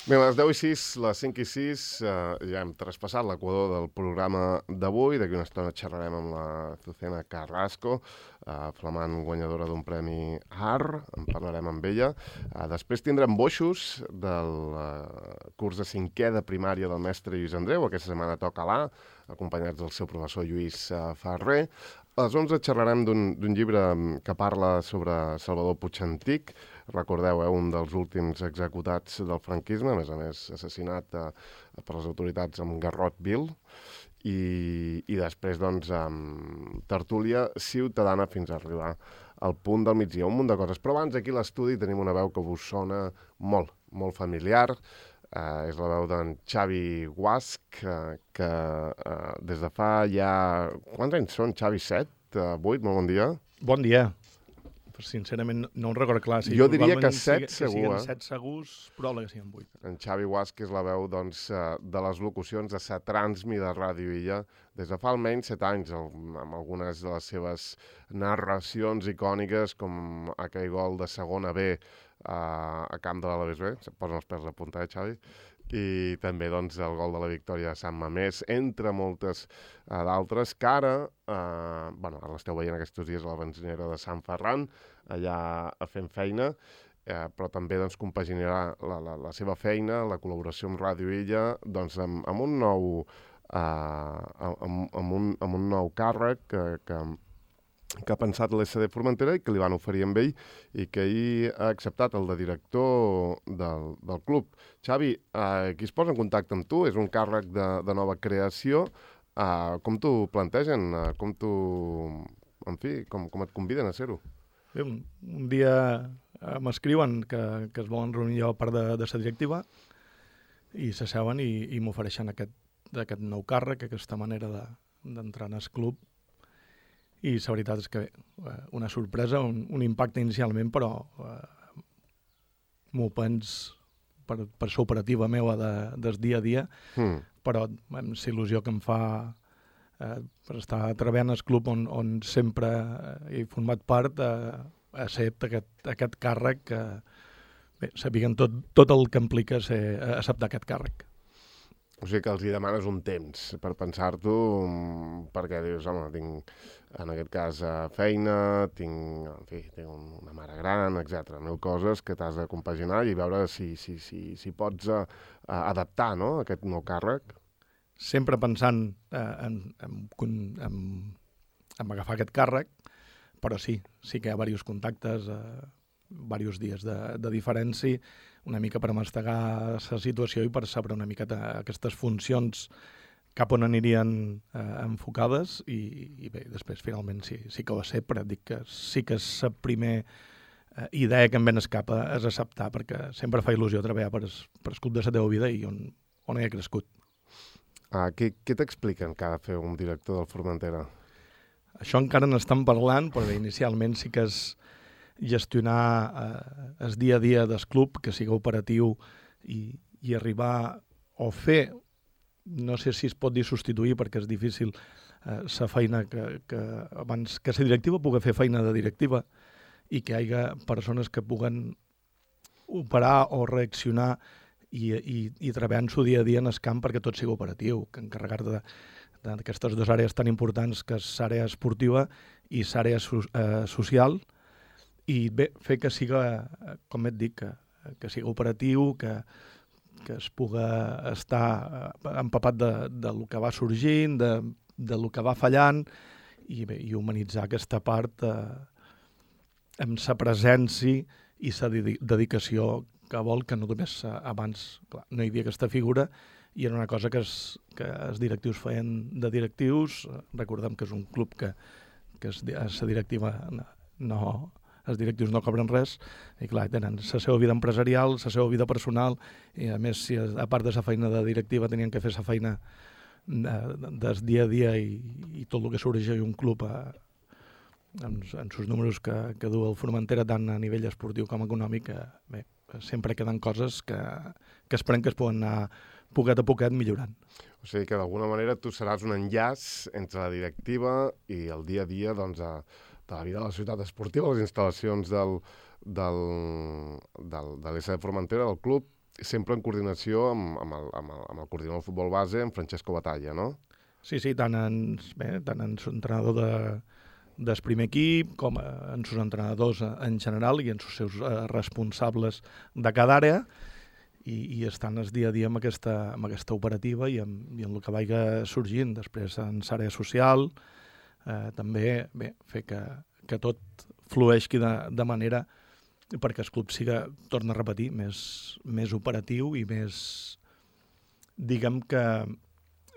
Bé, a les 10:06, les 5:06, ja hem traspassat l'equador del programa d'avui. D'aquí una estona xerrarem amb la Azucena Carrasco, flamant guanyadora d'un premi AR. En parlarem amb ella. Després tindrem boixos del curs de 5è de primària del mestre Lluís Andreu. Aquesta setmana toca l'A, acompanyats del seu professor Lluís Ferrer. A les 11 xerrarem d'un llibre que parla sobre Salvador Puig Antich. Recordeu, un dels últims executats del franquisme, a més assassinat per les autoritats amb garrot vil. I després, doncs, tertúlia ciutadana fins a arribar al punt del migdia. Un munt de coses. Però abans, aquí a l'estudi tenim una veu que us sona molt, molt familiar. És la veu d'en Xavi Guasch, que des de fa ja... Quants anys són, Xavi? 7? 8? Molt bon dia. Bon dia. Sincerament, no ho recordo clar. Jo diria que 7 segur, Que 7 segurs, probable que siguin 8. En Xavi Guasch és la veu, doncs, de les locucions de sa Transmi de Ràdio Illa des de fa almenys 7 anys, amb algunes de les seves narracions icòniques, com aquell gol de segona B a camp de l'Alaves B. Se't posen els pèls a punta, Xavi? I també, doncs, el gol de la victòria de Sant Mamés, entre moltes d'altres, que ara, ara l'esteu veient aquests dies a la benzinera de Sant Ferran, allà fent feina, però també, doncs, compaginarà la seva feina, la col·laboració amb Ràdio Illa, doncs, amb un nou càrrec que ha pensat l'SD Formentera i que li van oferir amb ell i que ell ha acceptat, el de director del club. Xavi, qui es posa en contacte amb tu? És un càrrec de nova creació. Com t'ho plantegen? Com et conviden a ser-ho? Bé, un dia m'escriuen que es volen reunir a part de la directiva i s'asseuen i m'ofereixen aquest nou càrrec, aquesta manera d'entrar en el club. I la veritat és que una sorpresa, un impacte inicialment, però m'ho pens per la operativa meva del dia a dia, però amb la il·lusió que em fa per estar treballant al club on sempre he format part, accepta aquest càrrec que sabien tot el que implica acceptar aquest càrrec. O sigui que els hi demanes un temps per pensar-t'ho, perquè dius, home, tinc, en aquest cas, feina, tinc una mare gran, etc. 1000 coses que t'has de compaginar i veure si pots adaptar, no?, aquest nou càrrec. Sempre pensant en agafar aquest càrrec, però sí que hi ha diversos contactes, diversos dies de diferència, una mica per mastegar la situació i per saber una mica aquestes funcions cap on anirien enfocades i bé, després finalment sí que ho sé, però dic que sí que la primera idea que em ven escapa és acceptar, perquè sempre fa il·lusió treballar per el club de la teva vida i on he crescut. Què t'expliquen que ha de fer un director del Formentera? Això encara n'estan parlant, però inicialment sí que és gestionar el dia a dia del club, que sigui operatiu i arribar o fer, no sé si es pot dir substituir perquè és difícil, la feina que abans que la directiva pugui fer feina de directiva i que hi hagi persones que puguen operar o reaccionar i treballar en su dia a dia en el camp perquè tot sigui operatiu, que encarregar d'aquestes dues àrees tan importants, que és l'àrea esportiva i l'àrea social, i bé, fer que siga, com et dic, que siga operatiu, que es pugui estar empapat del que va sorgint, del que va fallant, i humanitzar aquesta part amb la presència i la dedicació que vol, que no només abans clar, no hi havia aquesta figura, i era una cosa que els directius feien de directius. Recordem que és un club que la directiva els directius no cobren res, i clar, tenen la seva vida empresarial, la seva vida personal, i a més, si a part de la feina de directiva tenien que fer la feina del dia a dia i tot el que sorgeix un club en els números que du el Formentera, tant a nivell esportiu com econòmic, bé, sempre queden coses que esperem que es poden anar poquet a poquet millorant. O sigui que d'alguna manera tu seràs un enllaç entre la directiva i el dia a dia, doncs, de la vida de la ciutat esportiva, les instal·lacions de l'SD Formentera, del club, sempre en coordinació amb el coordinador de futbol base, en Francesco Batalla, no? Sí, tant en entrenador del primer equip, com en sus entrenadors en general i en els seus responsables de cada àrea, i estan el dia a dia amb aquesta operativa i amb el que vagi sorgint. Després en l'àrea social, també fer que tot flueixi de manera perquè el club siga, torna a repetir, més operatiu i més, diguem que,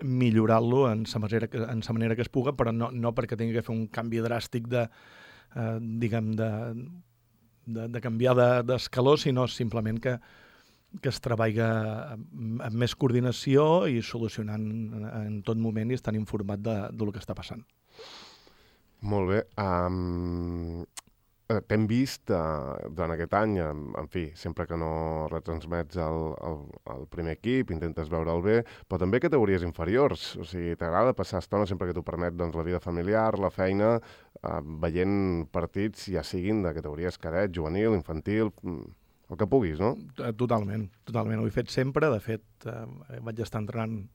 millorar-lo en la manera que es puga, però no perquè tingui que fer un canvi dràstic de canviar d'escaló, sinó simplement que es treballa amb més coordinació i solucionant en tot moment i estan informat del que està passant. Molt bé. T'hem vist durant aquest any, en fi, sempre que no retransmets el primer equip, intentes veure'l bé, però també categories inferiors. O sigui, t'agrada passar estona sempre que t'ho permet, doncs, la vida familiar, la feina, veient partits, ja siguin de categories cadet, juvenil, infantil, el que puguis, no? Totalment. Ho he fet sempre. De fet, vaig estar entrenant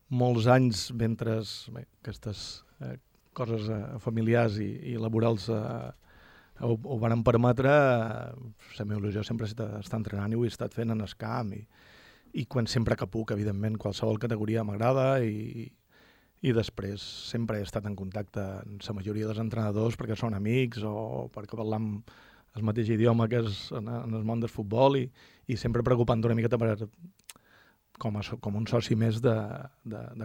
molts anys mentre aquestes coses familiars i laborals ho van permetre. La meva il·lusió sempre està entrenant i ho he estat fent en el camp i sempre que puc, evidentment, qualsevol categoria m'agrada i després sempre he estat en contacte amb la majoria dels entrenadors perquè són amics o perquè parlam el mateix idioma que és en el món del futbol i sempre preocupant una miqueta com un soci més de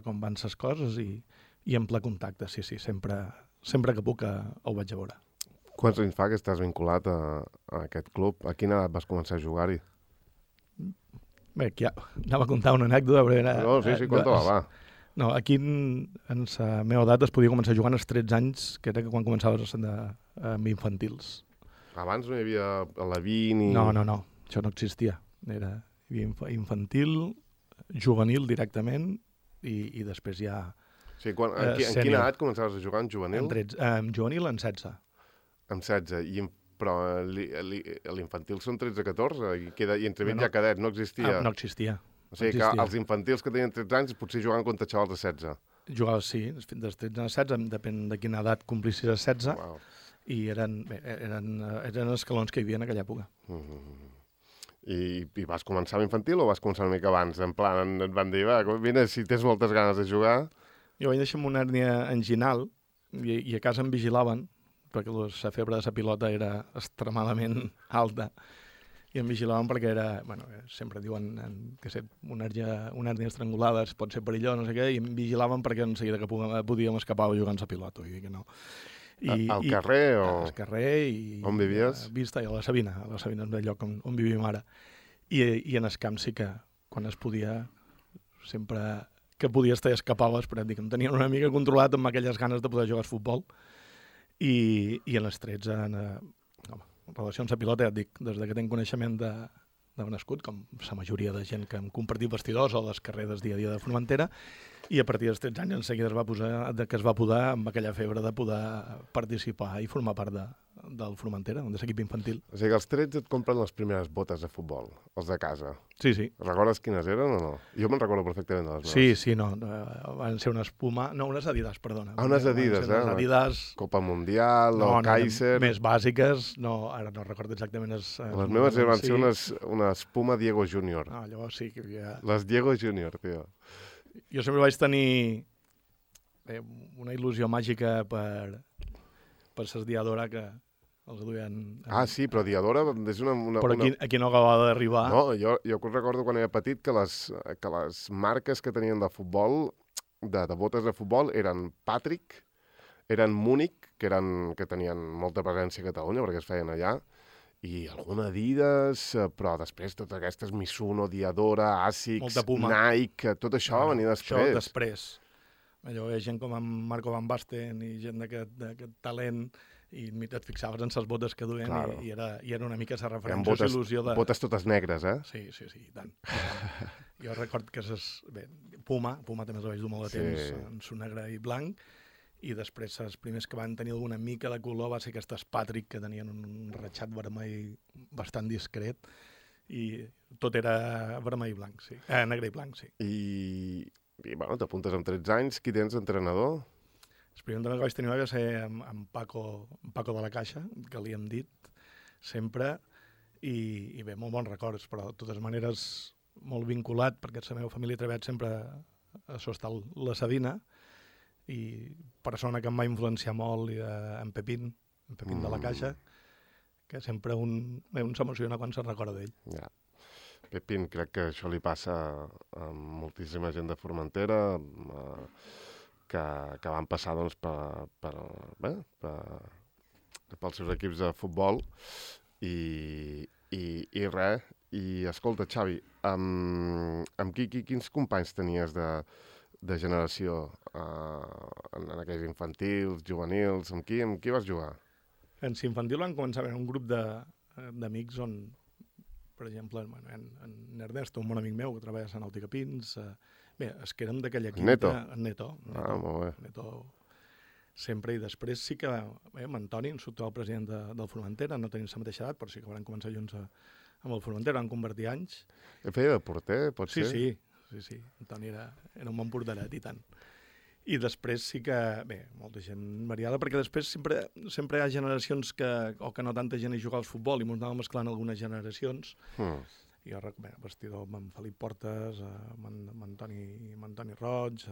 com van les coses i en ple contacte, sí, sempre que puc ho vaig a veure. Quants anys fa que estàs vinculat a aquest club? A quina edat vas començar a jugar-hi? Bé, aquí anava a contar una anècdota, però... No, sí, conta-la, va. No, aquí en la meva edat es podia començar a jugar als 13 anys, que era quan començaves amb infantils. Abans no hi havia la 20 i... No, això no existia. Hi havia infantil, juvenil directament i després ja... Sí, en quina edat començaves a jugar en juvenil? En juvenil en 16. En 16, però l'infantil són 13-14 i entremig ja cadet, no existia? No existia. O sigui que els infantils que tenien 13 anys potser jugaven contra xavals de 16. Jugaves, sí, dels 13 a 16, depèn de quina edat complissis a 16, wow. I eren escalons que hi havia en aquella època. I vas començar amb infantil o vas començar una mica abans? En plan, et van dir, va, vine, si tens moltes ganes de jugar... Jo vaig deixar amb una hèrnia anginal i a casa em vigilaven, perquè la febre de la pilota era extremadament alta, i em vigilaven perquè era, sempre diuen que una hèrnia estrangulada pot ser perillós, no sé què, i em vigilaven perquè en seguida que podíem escapar jugant a pilota, vull dir que no. Al carrer o...? Al carrer i... On vivies? Vista, i a la Sabina és el lloc on vivim ara. I en el camp sí que, quan es podia, sempre... que podies escapaves, però dic, em tenien una mica controlat amb aquelles ganes de poder jugar al futbol. I en els 13, en relació amb la pilota, ja et dic, des que tenc coneixement de nascut, com la majoria de gent que hem compartit vestidors o les carreres dia a dia de Formentera, i a partir dels 13 anys en seguida es va poder amb aquella febre de poder participar i formar part del Formentera, de l'equip infantil. O sigui que als 13 et compren les primeres botes de futbol, els de casa. Sí. Recordes quines eren o no? Jo me'n recordo perfectament de les meves. Sí, no. Van ser unes Puma... No, unes Adidas, perdona. Unes Adidas, unes Adidas... Copa Mundial o Kaiser... Més bàsiques, no, ara no recordo exactament... Les meves van ser unes Puma Diego Junior. Ah, llavors sí que hi havia... Les Diego Junior, tio. Jo sempre vaig tenir una il·lusió màgica per ser Diadora que els duien... Sí, però Diadora és una... Però aquí no acabava d'arribar. No, jo recordo quan era petit que les marques que tenien de futbol, de botes de futbol, eren Patrick, eren Múnich, que tenien molta presència a Catalunya perquè es feien allà, i alguna Adidas, però després totes aquestes Mizuno, Diadora, Asics, Nike, tot això va venir després. Això després. Allò, gent com en Marco Van Basten i gent d'aquest talent, i et fixaves en les botes que duien, claro. i era una mica la referència, il·lusió de... Botes totes negres, eh? Sí, i tant. Jo record que Puma també els vaig dur molt de temps, en su negre i blanc, i després els primers que van tenir alguna mica de color va ser aquestes Patrick, que tenien un ratxat vermell bastant discret, i tot era vermell i blanc, sí. Negre i blanc, sí. I bueno, t'apuntes amb 13 anys. Qui tens d'entrenador? El primer entrenador que vaig tenir va ser amb Paco de la Caixa, que li hem dit sempre, i bé, molt bons records, però de totes maneres molt vinculat, perquè la meva família ha treballat sempre a Sostal la Sadina, i persona que em va influenciar molt en Pepín de la Caixa, que sempre un s'emociona quan se'n recorda d'ell. Ja. Pepín, crec que això li passa a moltíssima gent de Formentera, que van passar doncs, pels seus equips de futbol, i res. I escolta, Xavi, amb quins companys tenies de generació en aquells infantils, juvenils? Amb qui vas jugar? En infantil van començar a haver un grup d'amics on, per exemple, en Ernesto, un bon amic meu, que treballa a Sant Nàutica Pins, bé, es que érem d'aquella quinta... Neto. Molt bé. Neto sempre, i després sí que amb Antoni, el president del Formentera, no tenim la mateixa edat, però sí que van començar junts amb el Formentera, van convertir anys. Feia de porter, pot ser? Sí. Antoni era un bon porteret, i tant. I després sí que, bé, molta gent variada, perquè després sempre hi ha generacions que no tanta gent hi juga al futbol, i ens anàvem mesclant algunes generacions. I jo recordo, vestidor amb en Felip Portes, amb Antoni Roig,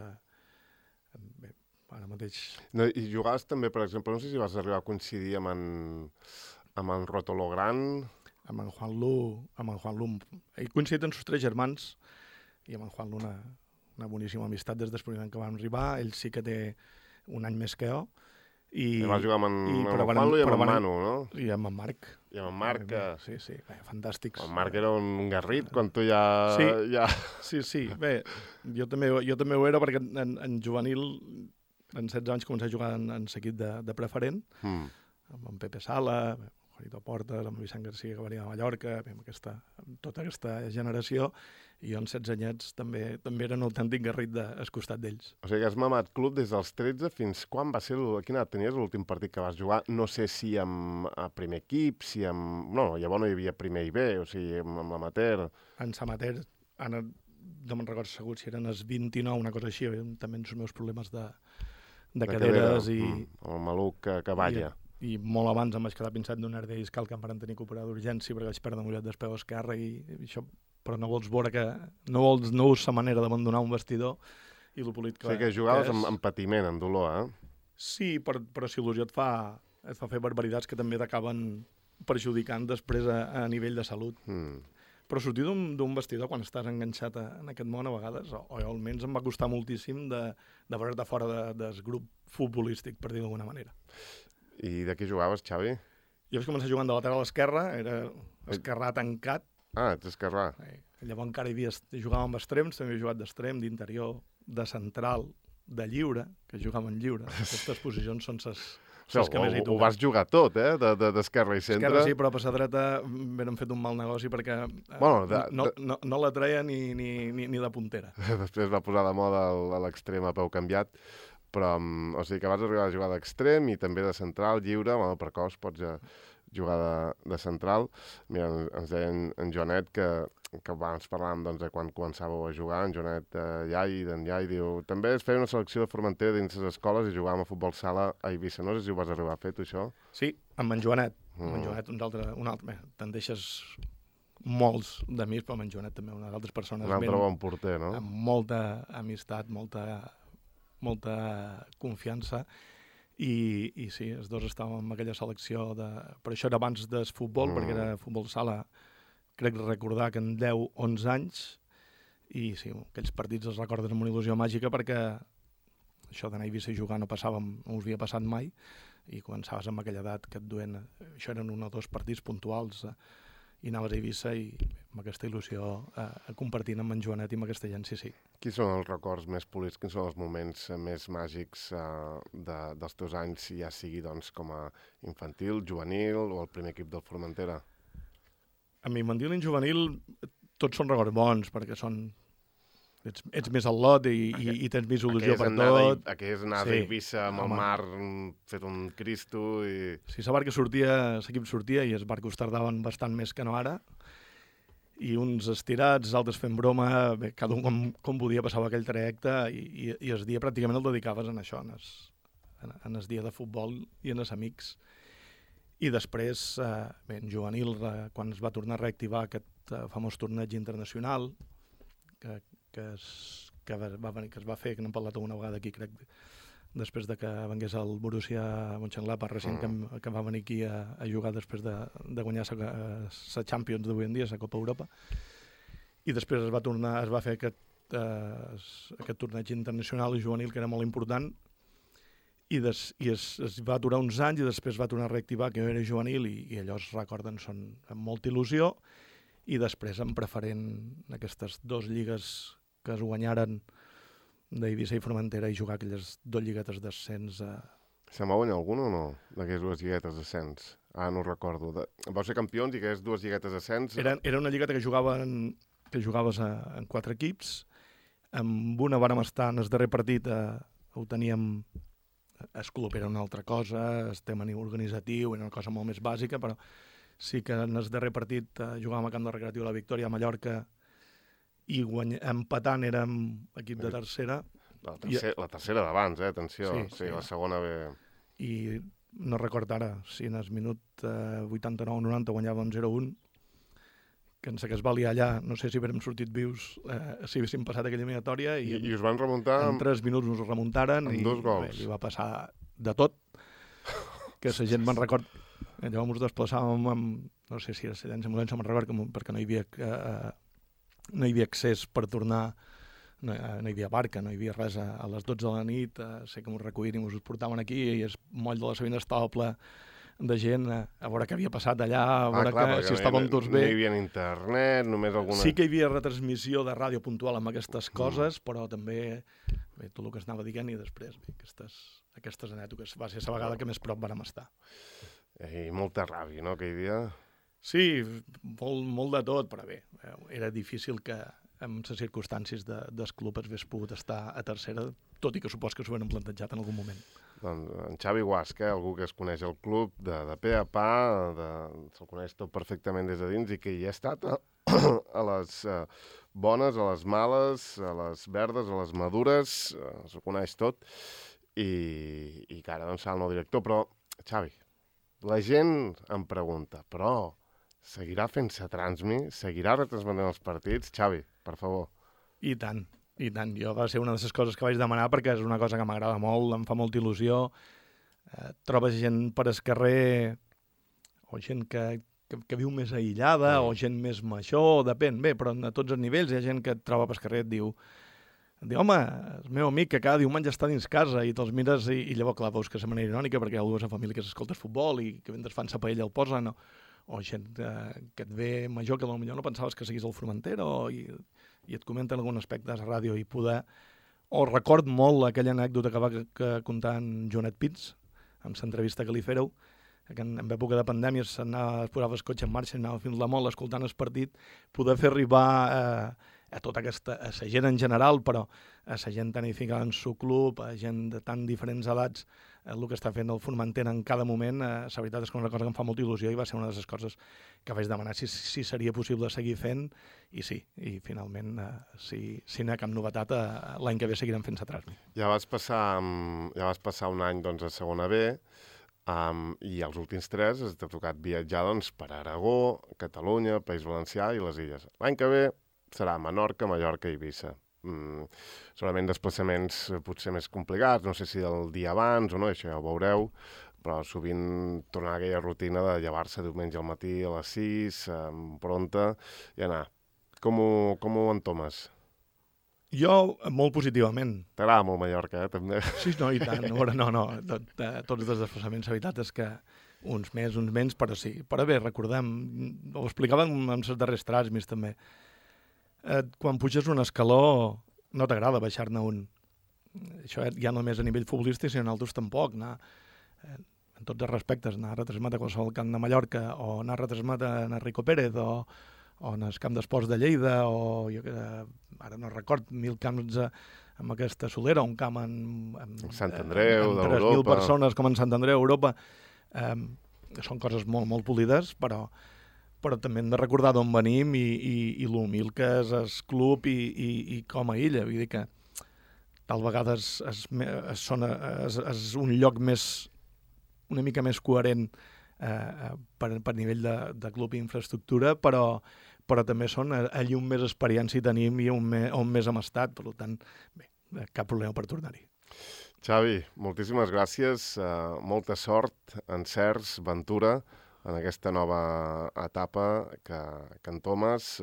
bé, ara mateix... No, i jugaves també, per exemple, no sé si vas arribar a coincidir amb en Rotolo Gran... Amb en Juan Lu. He coincidit amb els 3 germans, i amb en Juan Lu una boníssima amistat des del primer any que vam arribar. Ell sí que té un any més que jo. I vas jugar amb en Juan Lu i amb en Manu, no? I amb en Marc. I amb en Marc, que... Sí, bé, fantàstics. El Marc era un garrit quan tu ja... Sí. Bé, jo també ho era, perquè en juvenil, en 16 anys, començava a jugar en l'equip de preferent, amb en Pepe Sala, Juanito Portes, amb Vicent Garcia, que venia de Mallorca, amb tota aquesta generació, i jo en 16 anyets també era un autèntic garrit al costat d'ells. O sigui que has mamat club des dels 13 fins quan va ser... Quina edat tenies l'últim partit que vas jugar? No sé si amb primer equip, si amb... No, llavors no hi havia primer i B, o sigui, amb l'amateur. En l'amateur, ara no me'n recordo segur si eren els 29, una cosa així, també els meus problemes de caderes i... El maluc que balla. I molt abans em vaig quedar pinçat d'un herder discal que em van tenir que operar d'urgència perquè vaig perdre mullat del peu esquerre, i això, però no vols veure que no és la manera d'abandonar un vestidor i lo polit que... O sigui que jugaves amb patiment, amb dolor, Sí, però si il·lusió et fa fer barbaritats que també t'acaben perjudicant després a nivell de salut. Però sortir d'un vestidor quan estàs enganxat en aquest món a vegades, o almenys em va costar moltíssim de veure't fora del grup futbolístic, per dir d'alguna manera. I de què jugaves, Xavi? Jo vaig començar jugant de lateral esquerra, era esquerrà tancat. Ets esquerrà. Llavors encara jugàvem amb extrems, també he jugat d'extrem, d'interior, de central, de lliure, que jugàvem en lliure. Aquestes posicions són les que més hi toquen. Ho vas jugar tot, d'esquerra i centre. Esquerra sí, però a la dreta vam fet un mal negoci perquè no la treia ni de puntera. Després va posar de moda l'extrem a peu canviat. Però, o sigui que vas arribar a jugar d'extrem i també de central, lliure, per cos pots jugar de central. Mira, ens deia en Joanet que abans parlàvem de quan començàveu a jugar, en Joanet d'en Iai, diu, també es feia una selecció de Formentera dins les escoles i jugàvem a futbol sala a Eivissa. No sé si ho vas arribar a fer, tu, això? Sí, amb en Joanet. Amb en Joanet, un altre. Te'n deixes molts d'amics, però amb en Joanet també, unes altres persones. Un altre bon porter, no? Amb molta amistat, molta confiança, i sí, els dos estàvem en aquella selecció però això era abans del futbol, perquè era futbol sala, crec recordar que en 10-11 anys, i sí, aquells partits els recordes amb una il·lusió màgica, perquè això d'anar a Eivissa i jugar no us havia passat mai, i començaves amb aquella edat que et duen, això eren 1 o 2 partits puntuals, i anaves a Eivissa i amb aquesta il·lusió compartint amb en Joanet i amb aquesta gent, sí. Quins són els records més polits, quins són els moments més màgics dels teus anys, ja sigui com a infantil, juvenil o el primer equip del Formentera? Amb infantil i juvenil tots són records bons, perquè ets més al lot i tens més il·lusió per tot. Aquelles anades a Eivissa amb el mar fet un Cristo i... Sí, l'equip sortia i els barcos tardaven bastant més que no ara. i uns estirats, altres fent broma, bé, cada un com podia passava aquell trajecte i el dia pràcticament el dedicaves en això, en el dia de futbol i en els amics. I després, bé, en juvenil, quan es va tornar a reactivar aquest famós torneig internacional que es va fer, que n'hem parlat alguna vegada aquí, crec, després de que vengués el Borussia Mönchengladbach recent, que va venir aquí a jugar després de guanyar la Champions d'avui en dia, la Copa Europa. I després es va fer aquest torneig internacional i juvenil, que era molt important, i es va durar uns anys i després va tornar a reactivar, que era juvenil, i allò es recorden, són amb molta il·lusió, i després en preferent aquestes dues lligues que es guanyaren d'Eivissa i Formentera i jugar aquelles dues lliguetes d'ascens. Se m'ha guanyat algun o no, d'aquelles dues lliguetes d'ascens? No recordo. Vau ser campions i aquelles dues lliguetes d'ascens... Era una lligueta que jugaves en 4 equips. Amb una vàrem estar en el darrer partit, ho teníem... El club era una altra cosa, el tema organitzatiu era una cosa molt més bàsica, però sí que en el darrer partit jugàvem a Camp de Recreatiu La Victòria a Mallorca i empatant érem equip de tercera. La tercera d'abans, atenció. Sí, la segona ve... I no record ara si en el minut 89-90 guanyàvem 0-1, que en que es va liar allà, no sé si haguérem sortit vius si haguéssim passat aquella eliminatòria. I us van remuntar... En 3 minuts us remuntaren. Amb 2 gols. Bé, i va passar de tot, que la gent me'n record... Llavors ens desplaçàvem amb... No sé si era la ambulància, me'n record, perquè no hi havia accés per tornar, no hi havia barca, no hi havia res a les 12 de la nit, sé que m'ho recollien i m'ho portaven aquí i el moll de la Sabina estava ple de gent a veure què havia passat allà, a veure si estàvem tots bé. No hi havia internet, només alguna... Sí que hi havia retransmissió de ràdio puntual amb aquestes coses, però també tot el que es anava dient i després aquestes anècdotes. Va ser la vegada que més prop vàrem estar. I molta ràbia, no, aquell dia? Sí, molt de tot, però bé, era difícil que amb les circumstàncies del club es hagués pogut estar a tercera, tot i que supos que s'ho havien plantejat en algun moment. Doncs en Xavi Guasch, algú que es coneix el club de pe a pa, se'l coneix tot perfectament des de dins i que hi ha estat a les bones, a les males, a les verdes, a les madures, se'l coneix tot, i que ara doncs serà el nou director. Però, Xavi, la gent em pregunta, però seguirà fent-se transmi? Seguirà retransmetent els partits? Xavi, per favor. I tant. Jo va ser una de les coses que vaig demanar perquè és una cosa que m'agrada molt, em fa molta il·lusió. Trobes gent per el carrer, o gent que viu més aïllada, o gent més major, depèn. Bé, però a tots els nivells hi ha gent que et troba per carrer i et diu home, el meu amic que cada diumenge està dins casa i te'ls mires i llavors, clar, veus que és de manera irònica perquè hi ha algú a la família que s'escolta futbol i que mentre fan sa paella el posen, o gent que et ve major que potser no pensaves que seguís el Formentera i et comenten algun aspecte de la ràdio i poder... O record molt aquella anècdota que va contar en Joanet Pins amb l'entrevista que li fèreu, que en època de pandèmia es posava el cotxe en marxa, anava fins la Mol escoltant el partit, poder fer arribar a tota aquesta, a la gent en general, però a la gent tan edificada en el club, a gent de tan diferents edats, el que està fent el Formentera en cada moment, la veritat és que és una cosa que em fa molta il·lusió i va ser una de les coses que vaig demanar si seria possible seguir fent, i sí, i finalment, si n'hi ha cap novetat, l'any que ve seguirem fent-se transmi. Ja vas passar un any doncs, a segona B, i els últims 3 t'ha tocat viatjar doncs, per Aragó, Catalunya, País Valencià i les Illes. L'any que ve serà Menorca, Mallorca i Eivissa. Segurament desplaçaments potser més complicats, no sé si el dia abans o no, això ja ho veureu, però sovint tornar a aquella rutina de llevar-se diumenge al matí a les 6, pronta, i anar. Com ho entomes? Jo, molt positivament. T'agrada molt Mallorca, també? Sí, no, i tant. No. Tots els desplaçaments, la veritat és que uns més, uns menys, però sí. Però bé, recordem, ho explicàvem en els darrers transmis també, quan puges un escaló no t'agrada baixar-ne un. Això ja només a nivell futbolístic, sinó en altres tampoc. En tots els respectes, anar a retransmetre a qualsevol camp de Mallorca o anar a retransmetre a Rico Pérez o en el camp d'esports de Lleida o ara no record, 1.000 camps amb aquesta solera, un camp en Sant Andreu, d'Europa. 3.000 persones com en Sant Andreu, Europa. Són coses molt, molt polides, però però també hem de recordar d'on venim i l'humil que és el club i com a illa. Vull dir que tal vegada és un lloc una mica més coherent per nivell de club i infraestructura, però també són allí on més experiència tenim i on més hem estat. Per tant, bé, cap problema per tornar-hi. Xavi, moltíssimes gràcies, molta sort, encerts, ventura en aquesta nova etapa que entomes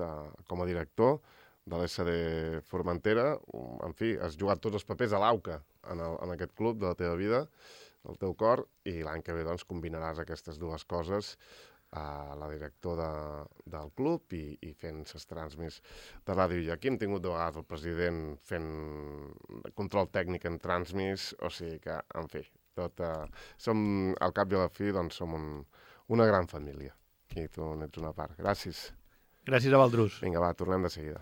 com a director de l'SD Formentera. En fi, has jugat tots els papers a l'AUCA en aquest club de la teva vida, del teu cor, i l'any que ve doncs, combinaràs aquestes dues coses, la director del club i fent les transmis de ràdio. I aquí hem tingut de vegades el president fent control tècnic en transmis, o sigui que, en fi, som, al cap i a la fi, doncs som una gran família. I tu n'ets una part. Gràcies. Gràcies a vosaltres. Vinga, va, tornem de seguida.